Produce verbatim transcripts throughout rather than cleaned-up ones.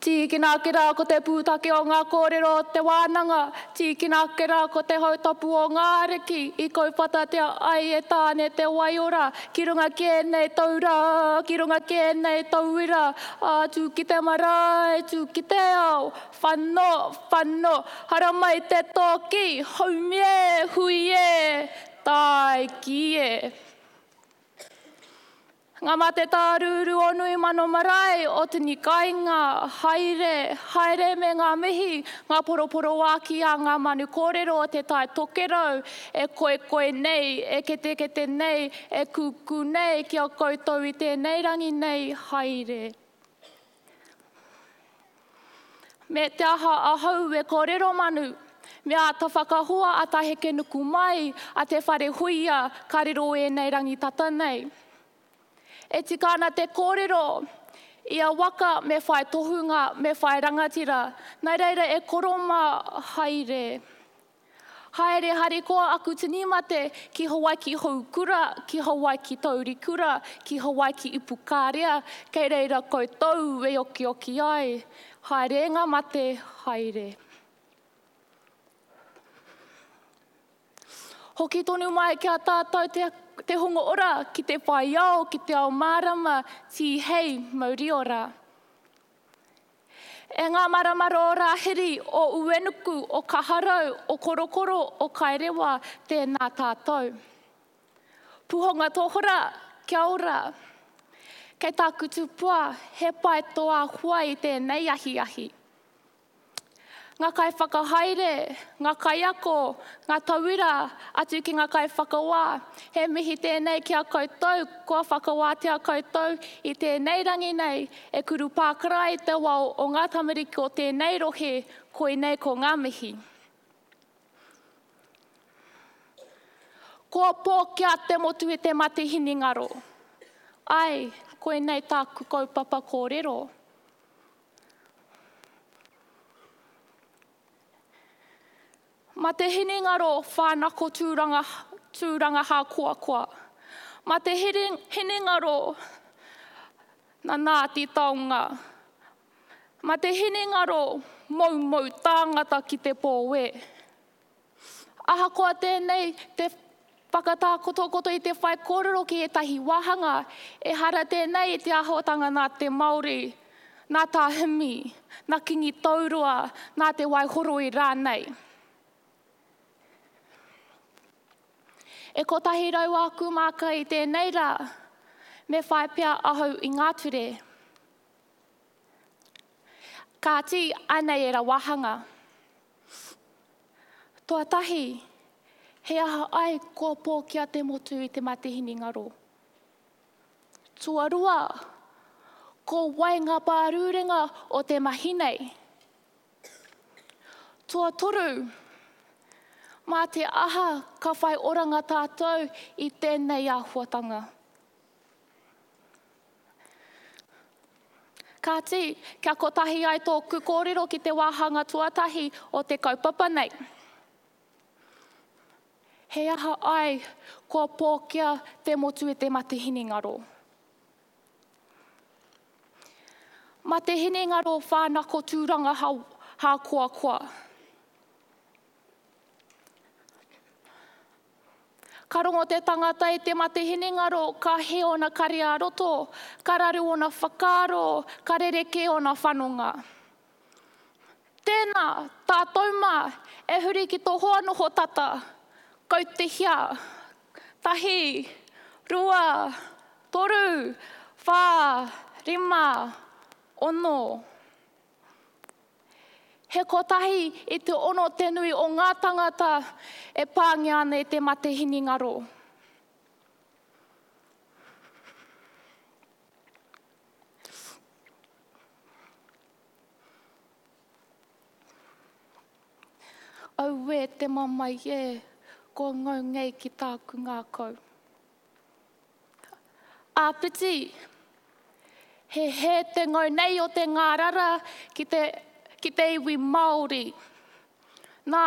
Tīkina ake rā ko te pūtake o ngā kōrero o te wānanga, tīkina ake rā ko te hautapu o ngā ariki i kauwhatatea ai e Tāne te waiora ki runga ki ēnei taura, ki runga ki ēnei tauira, ā, tū ki te marae, tū ki te ao, whano, whano, haramai te tōki, haumi e, hui e, tāiki e. Ngā mate tārūrū o nui mano marae, o tini kainga, haere, haere me ngā mihi, ngā poroporoāki a ngā manu kōrero o te tai tokerau, e koekoi nei, e ketekete nei, e kūkū nei, ki a koutou i tēnei rangi nei, haere. Me te aha ahau e kōrero manu, me āta whakahua a Taheke Nuku mai, a Te Whare Huia, ka riro ēnei rangi tata nei. E tika ana te kōrero, ia waka me whai tohunga, me whai rangatira, nā reira e koro mā, haere. Haere harikoa aku tini mate ki Hawaiki Houkura, ki Hawaiki Taurikura, ki Hawaiki Ipukārea, kei reira koutou e okioki ai. Haere ngā mate, haere. Hoki tonu mai ki a tātou te, te hunga ora, ki te whai ao, ki te ao mārama, tīhei, mauri ora. E ngā maramara o Rāhiri, o Uenuku, o Kaharau, o Korokoro, o Kairewa, tēnā tātou. Puhonga tōhora, kia ora. Kei tāku tupua, he pai tō āhua i tēnei ahiahi. Ngā kaiwhakahaere, ngā kaiako, ngā tauira, atu ki ngā kaiwhakawā. He mihi tēnei ki a koutou, kua whakawātea koutou i tēnei rangi nei, e kuru pākara i te wao o ngā tamariki o tēnei rohe, koinei ko ngā mihi. Kua pōkia te motu i te mate hinengaro. Ai, koinei tāku kaupapa kōrero. Ma te hinengaro whānako tūranga, tūranga hākoakoa. Ma te hinengaro nanā te taonga. Ma te hinengaro moumou tāngata ki te pōwe. Ahakoa tēnei te whakatākotokoto i te whai kōrero ki ētahi wāhanga, ehara tēnei i te āhuatanga nā te Māori, nā Tā Himi, nā Kingi Tauroa, nā Te Waihoroi rānei. E kotahi rau āku māka i tēnei rā, me whai pea ahau i ngā ture. Kāti, anei e ra wāhanga. Tuatahi, he aha ai kua pōkia te motu i te mate hinengaro. Tuarua, ko wai ngā pārūrenga o te mahi nei. Tuatoru, mā te aha ka whai oranga tātou i tēnei āhuatanga. Kāti, kia kotahi ai tōku kōrero ki te wāhanga tuatahi o te kaupapa nei. He aha ai kua pōkia te motu e te mate hinengaro. Mate hinengaro whānako tūranga hākoakoa. Ka rongo te tangata i te mate hinengaro, ka he ona kare a roto, ka raru ona whakaaro, ka rereke ona whanonga. Tēnā, tātou mā, e huri ki tō hoa noho tata, kautehia, tahi, rua, toru, whā, rima, ono. He kotahi i te ono te nui o ngā tangata e pāngia ana i te mate hinengaro. Auē te mamae e, kua ngau nei ki tāku ngākau. Āpiti, he hē te ngau nei o te ngārara ki te, ki te iwi Māori. Nā,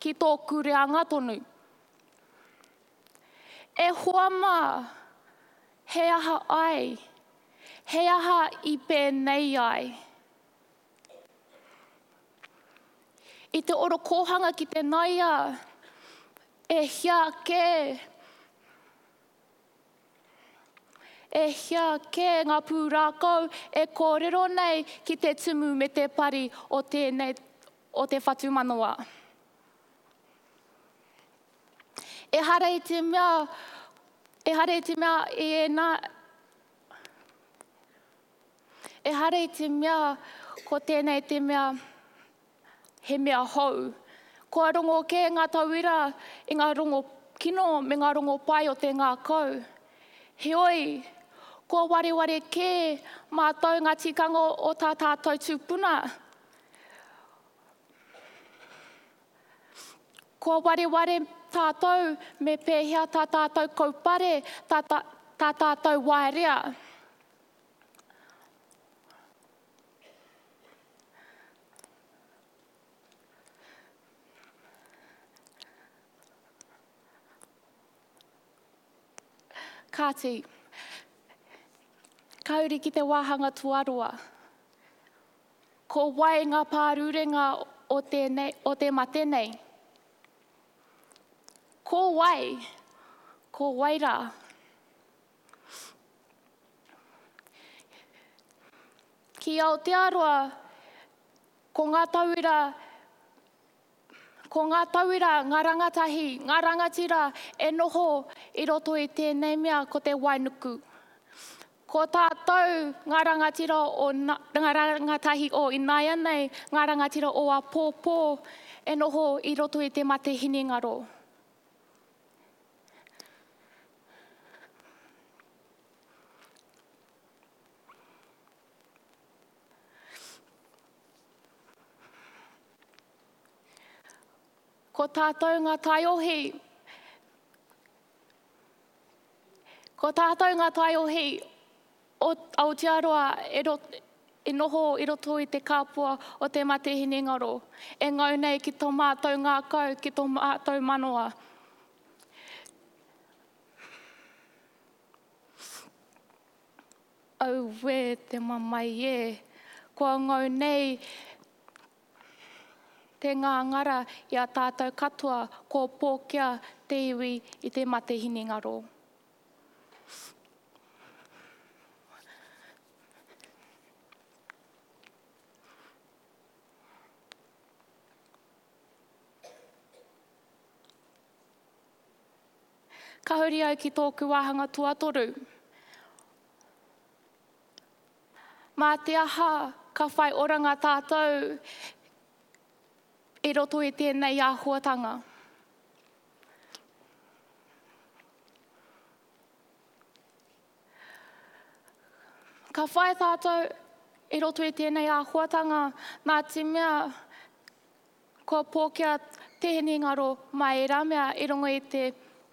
ki tōku reanga tonu. E hoa mā, he aha ai, he aha i pēnei ai. I te orokohanga ki te naia, e hia kē, e hia kē ngā pūrākau e kōrero nei ki te tumu me te pari o tēnei, o te whatumanawa. Ehara i te mea, ehara i te mea i ēnā, ehara i te mea ko tēnei te mea he mea hou. Kua rongo kē ngā tauira i ngā rongo kino me ngā rongo pai o te ngākau. Heoi, kua wareware kē mātou ngā tikanga o tā tātou tūpuna. Kua wareware tātou me pēhea tā tātou kaupare, tā, tā, tā tātou waerea. Kāti, ka uri ki te wāhanga tuarua. Ko wai ngā pārurenga o tēnei, o te mate nei? Ko wai? Ko wai rā? Ki Aotearoa, ko ngā tauira, ko ngā tauira, ngā rangatahi, ngā rangatira e noho i roto i tēnei mea ko te wainuku. Ko tātou ngā rangatira o, ngā rangatahi o ināianei, ngā rangatira o āpōpō e noho i roto i te mate hinengaro. Ko tātou ngā taiohi, ko tātou ngā taiohi o Aotearoa e, ro, e noho i roto i te kāpua o te mate hinengaro, e ngau nei ki tō mātou ngākau, ki tō mātou manawa. Auē te mamae e, kua ngau nei te ngāngara i a tātou katoa, ko pōkia te iwi i te mate hinengaro. Ka huri au ki tōku wāhanga tuatoru. Mā te aha ka whai oranga tātou i roto i tēnei āhuatanga. Ka whai tātou i roto i tēnei āhuatanga nā te mea kua pōkia te hinengaro mai ērā mea i runga i te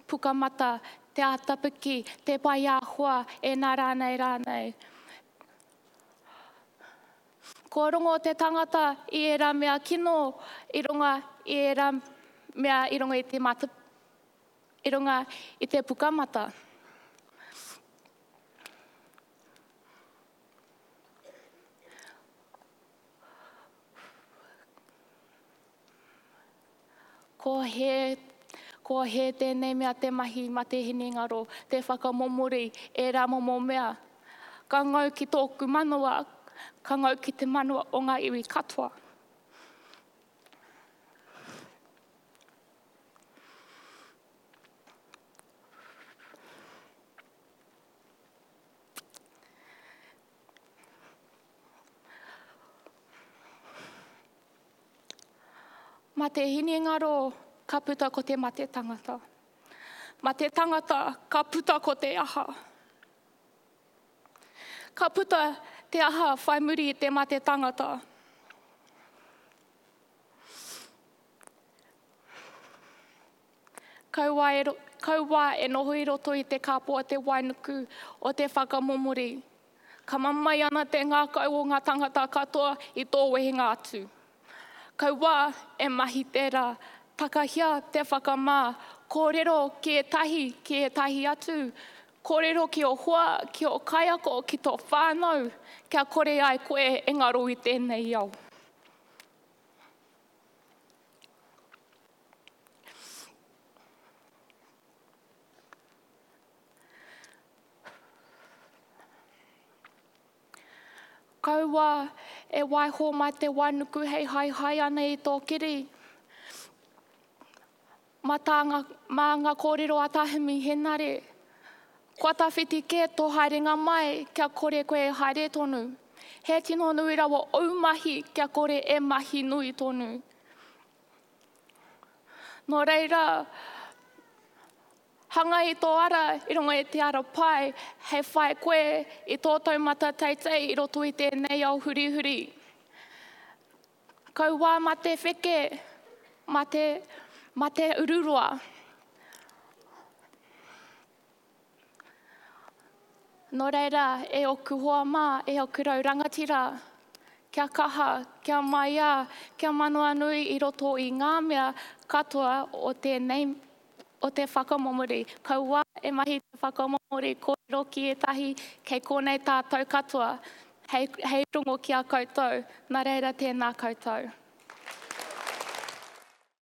pukamata, te ātapiki, te pai āhua, e nā rānei rānei. Kua rongo te tangata i ērā mea kino i runga i ērā mea i runga i te mata, i runga i te pukamata. Ko he, ko he tēnei mea te mahi mate hinengaro, te whakamomori, ērā momo mea. Ka ngau ki tōku manawa, ka ngau ki te manawa o ngā iwi katoa. Mate hinengaro, ka puta ko te mate tangata. Mate tangata, ka puta ko te aha. Ka puta te aha whai muri i te mate tangata. Kaua e, kaua e noho i roto i te kāpua te wainuku o te whakamomori. Ka mamae ana te ngākau o ngā tangata katoa i tō wehenga atu. Kaua e mahi tērā, takahia te whakamā, kōrero ki ētahi, ki ētahi atu, kōrero ki o hoa, ki o kaiako, ki tō whānau, kia kore ai koe e ngaro i tēnei ao. Kaua e waiho mai te wainuku hei haehae ana i tō kiri. Mā tā ngā, mā ngā kōrero a Tā Himi Henare, kua tawhiti kē tō haerenga mai kia kore koe e haere tonu. He tino nui rawa ōu mahi kia kore e mahi nui tonu. Nō reira, hanga i tō ara i runga i te ara pai hei whai koe i tō taumata teitei i roto i tēnei ao hurihuri. Kauā mā te wheke, mā te, mā te ururoa. Nō reira, e oku hoa mā, e oku rau rangatira, kia kaha, kia maiā, kia manawanui i roto i ngā mea katoa o tēnei, o te whakamomori. Kaua e mahi te whakamomori kōrero ki ētahi, kei konei tātou katoa, hei, hei rongo ki a koutou. Nā reira, tēnā koutou.